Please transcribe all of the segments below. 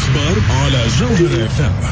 الأخبار على جوهرة FM.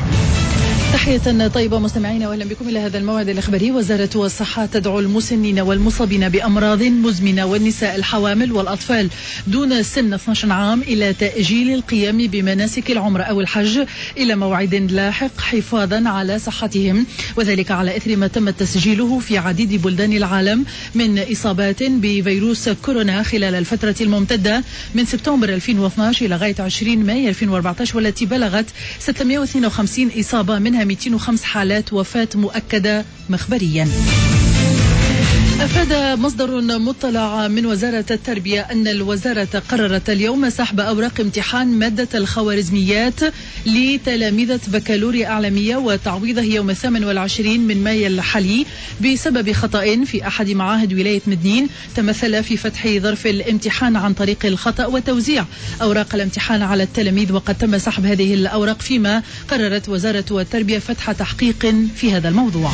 تحية طيبة مستمعينا واهلا بكم الى هذا الموعد الاخباري. وزارة الصحة تدعو المسنين والمصابين بامراض مزمنة والنساء الحوامل والاطفال دون سن 12 عام الى تأجيل القيام بمناسك العمرة او الحج الى موعد لاحق حفاظا على صحتهم، وذلك على اثر ما تم تسجيله في عديد بلدان العالم من اصابات بفيروس كورونا خلال الفترة الممتدة من سبتمبر 2012 الى غاية 20 مايو 2014، والتي بلغت 652 اصابة، منها 205 حالات وفاة مؤكدة مخبريا. أفاد مصدر مطلع من وزارة التربية أن الوزارة قررت اليوم سحب أوراق امتحان مادة الخوارزميات لتلاميذة بكالوريا إعلامية وتعويضه يوم 28 من مايو الحالي بسبب خطأ في أحد معاهد ولاية مدنين تمثل في فتح ظرف الامتحان عن طريق الخطأ وتوزيع أوراق الامتحان على التلاميذ، وقد تم سحب هذه الأوراق، فيما قررت وزارة التربية فتح تحقيق في هذا الموضوع.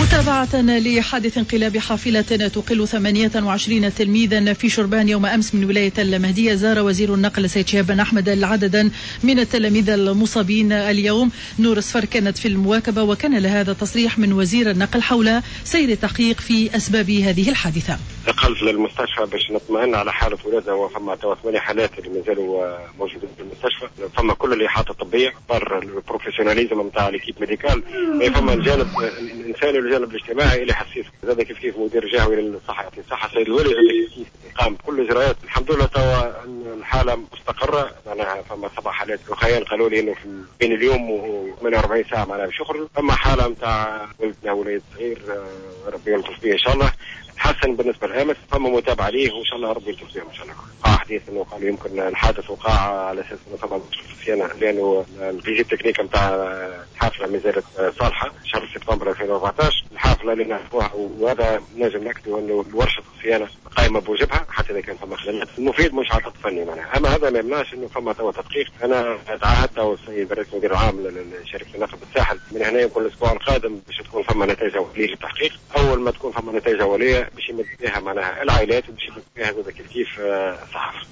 متابعة لحادث انقلاب حافلة تقل 28 تلميذا في شربان يوم أمس من ولاية المهدية، زار وزير النقل سيد شهاب أحمد العددا من التلاميذ المصابين اليوم. نور صفر كانت في المواكبة وكان لهذا تصريح من وزير النقل حول سير التحقيق في أسباب هذه الحادثة. دخلت للمستشفى باش نطمئن على حالة ولادنا، وفما توا 8 حالات اللي مازالوا موجودين في المستشفى. فما كل الإحاطة الطبية par ال professionnalisme نتاع l'équipe médicale، فما الجانب الإنساني والجانب الاجتماعي اللي حسيت زاد كيف كيف مدير جهوي للصحة يعطي الصحة السيد الوالي زاد كيف كيف قام بكل الإجراءات. الحمد لله توا الحالة مستقرة، معناها فما 7 حالات أخرين قالوا لي إنه بين اليوم و 48 ساعة معناها باش يخرجوا. فما حالة نتاع ولدنا وليد صغير ربي يلطف به إن شاء الله، تحسن بالنسبة لامس، فما متابعه ليه وان شاء الله ربي يلطف بهم ان شاء الله. وقع حديث انه قالوا يمكن الحادث وقع على اساس انه فما صيانة، لانه ال visite technique نتاع الحافلة ما زالت صالحه شهر سبتمبر 2014. الحافلة اللي نعرفوها، وهذا نجم ناكدوا انه ورشه الصيانة قائمة بواجبها حتى اذا كان فما خلل المفيد مش عطل فني معناها، اما هذا ما يمنعش انه فما توا تدقيق. انا تعهدت السيد رئيس المدير العام لشركة النقل بالساحل من هنا يمكن الاسبوع القادم باش تكون فما نتائج اوليه للتحقيق. اول ما تكون فما نتائج اوليه باش يمد بها معناها العائلات وباش يمد بها زاد كيف كيف الصحافة.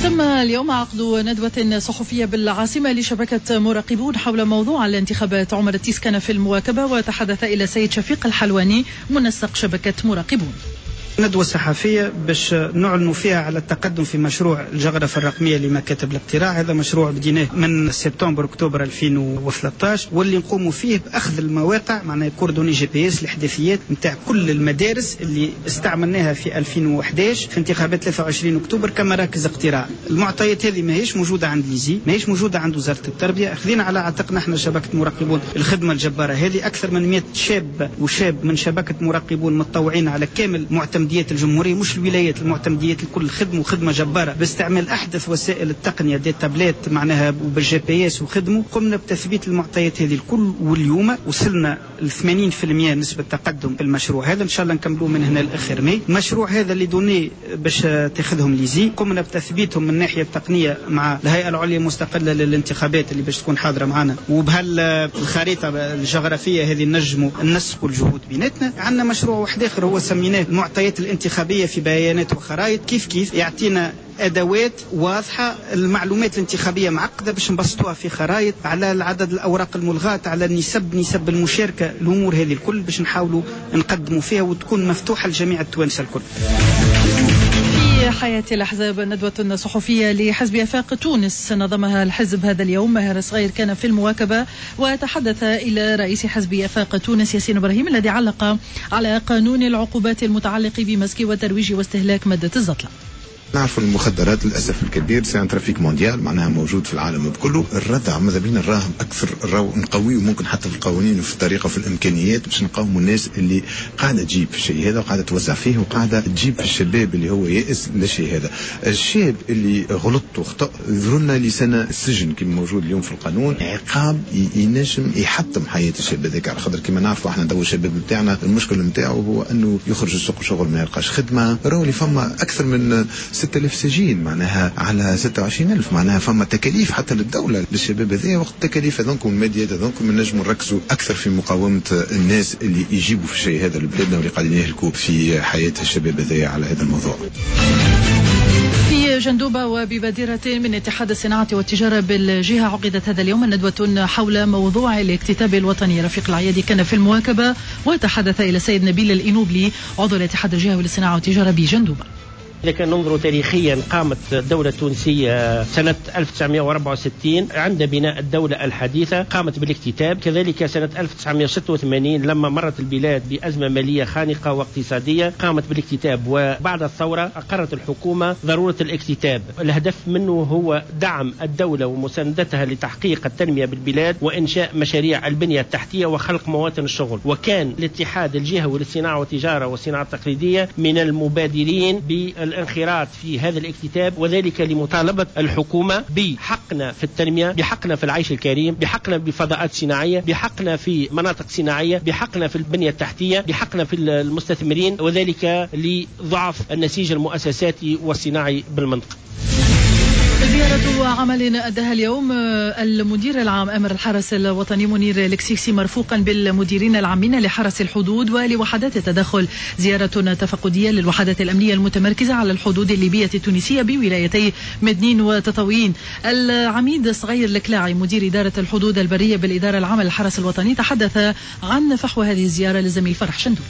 تم اليوم عقد ندوة صحفية بالعاصمة لشبكة مراقبون حول موضوع الانتخابات. عمر التيس كان في المواكبة وتحدث إلى سيد شفيق الحلواني منسق شبكة مراقبون. ندوة صحفية باش نعلنوا فيها على التقدم في مشروع الجغرافة الرقمية لمكاتب الاقتراع. هذا مشروع بديناه من سبتمبر اكتوبر 2013، واللي نقوموا فيه باخذ المواقع معناها coordonnées GPS الاحداثيات نتاع كل المدارس اللي استعملناها في 2011 في انتخابات 23 اكتوبر كمراكز اقتراع. المعطيات هذه ماهيش موجودة عند l'ISIE، ماهيش موجودة عند وزارة التربية. خذينا على عاتقنا احنا شبكة مراقبون الخدمة الجبارة هذه، أكثر من 100 شاب وشاب من شبكة مراقبون متطوعين على كامل معتمديات الجمهورية، مش الولايات، المعتمديات الكل خدموا خدمة جبارة باستعمال أحدث وسائل التقنية des tablettes معناها وبال GPS وخدموا. قمنا بتثبيت المعطيات هذه الكل، واليوم وصلنا ل 80% نسبة تقدم في المشروع هذا، إن شاء الله نكملوه من هنا لآخر ماي. المشروع هذا les données باش تاخذهم l'ISIE، قمنا بتثبيتهم من الناحية التقنية مع الهيئة العليا المستقلة للانتخابات اللي باش تكون حاضرة معنا، وبهالخريطة الجغرافية هذه نجموا ننسقوا الجهود بيناتنا. عندنا مشروع واحد آخر هو سميناه المعطيات الانتخابية في بيانات وخرائط، كيف كيف يعطينا أدوات واضحة. المعلومات الانتخابية معقدة باش نبسطوها في خرائط على العدد الأوراق الملغاة، على النسب، نسب المشاركة، الأمور هذه الكل باش نحاولوا نقدموا فيها وتكون مفتوحة لجميع التوانسة الكل. في حياة الأحزاب ندوة صحفية لحزب آفاق تونس نظمها الحزب هذا اليوم. ماهر صغير كان في المواكبة وتحدث إلى رئيس حزب آفاق تونس ياسين إبراهيم الذي علق على قانون العقوبات المتعلق بمسك وترويج واستهلاك مادة الزطلة. نعرفوا المخدرات للاسف الكبير c'est un trafic mondial، معناها موجود في العالم بكله. الردع ماذا بينا نراهم اكثر، راهو نقويه ممكن حتى في القوانين وفي الطريقة وفي الامكانيات باش نقاوموا الناس اللي قاعدة تجيب في الشيء هذا وقاعدة توزع فيه وقاعدة تجيب في الشباب اللي هو يائس للشيء هذا. الشاب اللي غلط وخطا يظهر لسنه السجن كما موجود اليوم في القانون، عقاب ينجم يحطم حياة الشاب هذاك، على خاطر كما نعرفوا احنا تو الشباب نتاعنا المشكل نتاعو هو انه يخرج السوق شغل ما يلقاش خدمة. راهو اللي فما اكثر من 6000 سجين معناها على 26000، معناها فما تكاليف حتى للدولة للشباب هذايا. وقت التكاليف هذوك والماديات هذوك نجموا نركزوا اكثر في مقاومة الناس اللي يجيبوا في الشيء هذا لبلادنا واللي قاعدين يهلكوا في حياة الشباب هذايا على هذا الموضوع. في بجندوبة وببادرة من اتحاد الصناعة والتجارة بالجهة عقدت هذا اليوم ندوة حول موضوع الاكتتاب الوطني. رفيق العيادي كان في المواكبة وتحدث إلى السيد نبيل الإنوبلي عضو الاتحاد الجهوي للصناعة والتجارة بجندوبة. إذا كان ننظر تاريخيا، قامت الدولة التونسية سنة 1964 عند بناء الدولة الحديثة قامت بالاكتتاب، كذلك سنة 1986 لما مرت البلاد بأزمة مالية خانقة واقتصادية قامت بالاكتتاب، وبعد الثورة أقرت الحكومة ضرورة الاكتتاب. الهدف منه هو دعم الدولة ومساندتها لتحقيق التنمية بالبلاد وإنشاء مشاريع البنية التحتية وخلق مواطن الشغل. وكان الاتحاد الجهوي للصناعة والتجارة والصناعة التقليدية من المبادرين بالانخراط في هذا الاكتتاب، وذلك لمطالبة الحكومة بحقنا في التنمية، بحقنا في العيش الكريم، بحقنا بفضاءات صناعية، بحقنا في مناطق صناعية، بحقنا في البنية التحتية، بحقنا في المستثمرين، وذلك لضعف النسيج المؤسساتي والصناعي بالمنطقة. زيارة عمل أداها اليوم المدير العام أمر الحرس الوطني منير الكسيكسي مرفوقا بالمديرين العامين لحرس الحدود ولوحدات التدخل، زيارة تفقدية للوحدات الأمنية المتمركزة على الحدود الليبية التونسية بولايتي مدنين وتطاوين. العميد صغير الكلاعي مدير إدارة الحدود البرية بالإدارة العامة للحرس الوطني تحدث عن فحوى هذه الزيارة للزميل فرح شندو.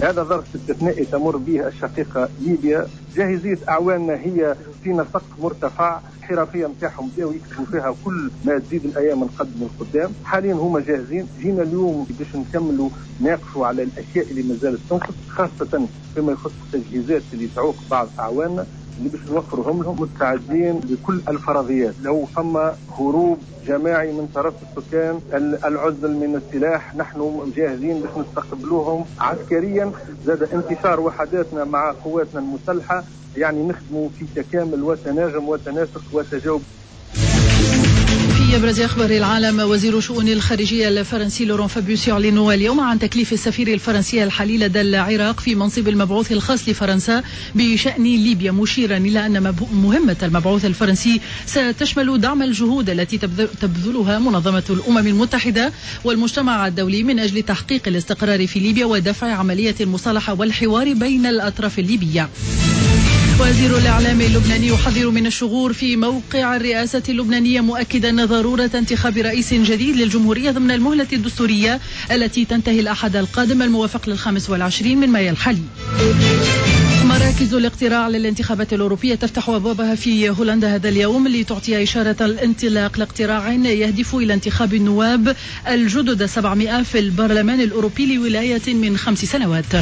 هذا ظرف استثنائي تمر به الشقيقة ليبيا، جاهزية أعواننا هي في نسق مرتفع، الحرفية نتاعهم بداو يكتبوا فيها كل ما تزيد الأيام نقدم القدام، حاليا هما جاهزين. جينا اليوم باش نكملوا ناقشوا على الأشياء اللي ما زالت تنقص، خاصة فيما يخص التجهيزات اللي تعوق بعض أعواننا اللي باش نوفرهم لهم. مستعدين لكل الفرضيات، لو فما هروب جماعي من طرف السكان، العزل من السلاح، نحن جاهزين باش نستقبلوهم عسكريا. زاد انتشار وحداتنا مع قواتنا المسلحة، يعني نخدموا في تكامل وتناغم وتناسق وتجاوب. في أبرز أخبار العالم، وزير شؤون الخارجية الفرنسي لوران فابيوس يعلن اليوم عن تكليف السفير الفرنسي الحالي لدى العراق في منصب المبعوث الخاص لفرنسا بشأن ليبيا، مشيرا إلى أن مهمة المبعوث الفرنسي ستشمل دعم الجهود التي تبذلها منظمة الأمم المتحدة والمجتمع الدولي من أجل تحقيق الاستقرار في ليبيا ودفع عملية المصالحة والحوار بين الأطراف الليبية. وزير الإعلام اللبناني يحذر من الشغور في موقع الرئاسة اللبنانية، مؤكدا ضرورة انتخاب رئيس جديد للجمهورية ضمن المهلة الدستورية التي تنتهي الأحد القادم الموافق لل25 من مايو الحالي. مراكز الاقتراع للانتخابات الأوروبية تفتح أبوابها في هولندا هذا اليوم لتعطي إشارة الانطلاق لاقتراع يهدف إلى انتخاب النواب الجدد 700 في البرلمان الأوروبي لولاية من 5 سنوات.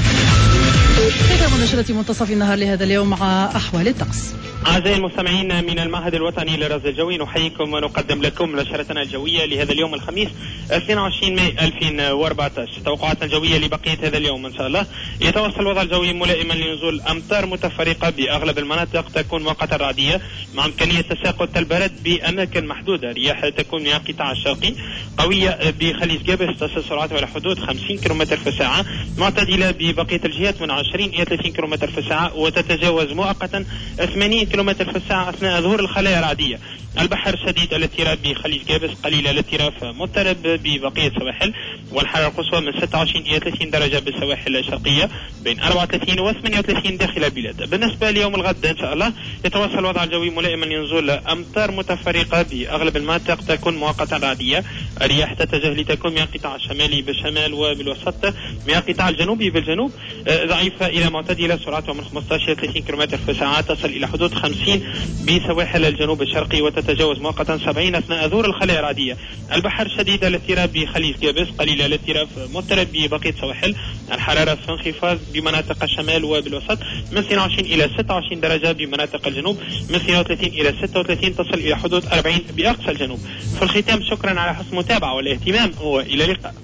ختام نشرة منتصف النهار لهذا اليوم مع أحوال الطقس. أعزائي المستمعين من المعهد الوطني للرصد الجوي نحييكم ونقدم لكم نشرتنا الجوية لهذا اليوم الخميس 22 ماي 2014. توقعاتنا الجوية لبقية هذا اليوم إن شاء الله يتواصل الوضع الجوي ملائما لنزول أمطار متفرقة بأغلب المناطق، تكون مؤقتا رعدية مع إمكانية تساقط البرد بأماكن محدودة. رياح تكون من القطاع الشرقي قوية بخليج قابس تصل سرعتها إلى حدود 50 كم في الساعة، معتدلة ببقية الجهات من 20 إلى 30 كم في الساعة وتتجاوز مؤقتا 80 كم في الساعة أثناء ظهور الخلايا الرعدية. البحر شديد الاضطراب بخليج قابس، قليل الاضطراب مضطرب ببقية السواحل، والحرارة القصوى من 26 إلى 30 درجة بالسواحل الشرقية، بين 34 و 38 داخل البلاد. بالنسبة ليوم الغد إن شاء الله يتواصل الوضع الجوي ملائما لنزول أمطار متفرقة بأغلب المناطق، تكون مؤقتا رعدية. الرياح تتجه لتكون من القطاع الشمالي بالشمال وبالوسط، من القطاع الجنوبي بالجنوب، ضعيفة إلى معتدلة، سرعتها من 15 إلى 30 كم في الساعة، تصل إلى حدود 50 بسواحل الجنوب الشرقي وتتجاوز مؤقتا 70 أثناء ظهور الخلايا الرعدية. البحر شديد الاضطراب بخليج قابس، قليل الاضطراب مضطرب ببقية السواحل. الحرارة في انخفاض بمناطق الشمال وبالوسط من 22 إلى 26 درجة، بمناطق الجنوب من 32 إلى 36، تصل إلى حدود 40 بأقصى الجنوب. في الختام شكرا على حسن المتابعة والاهتمام، وإلى اللقاء.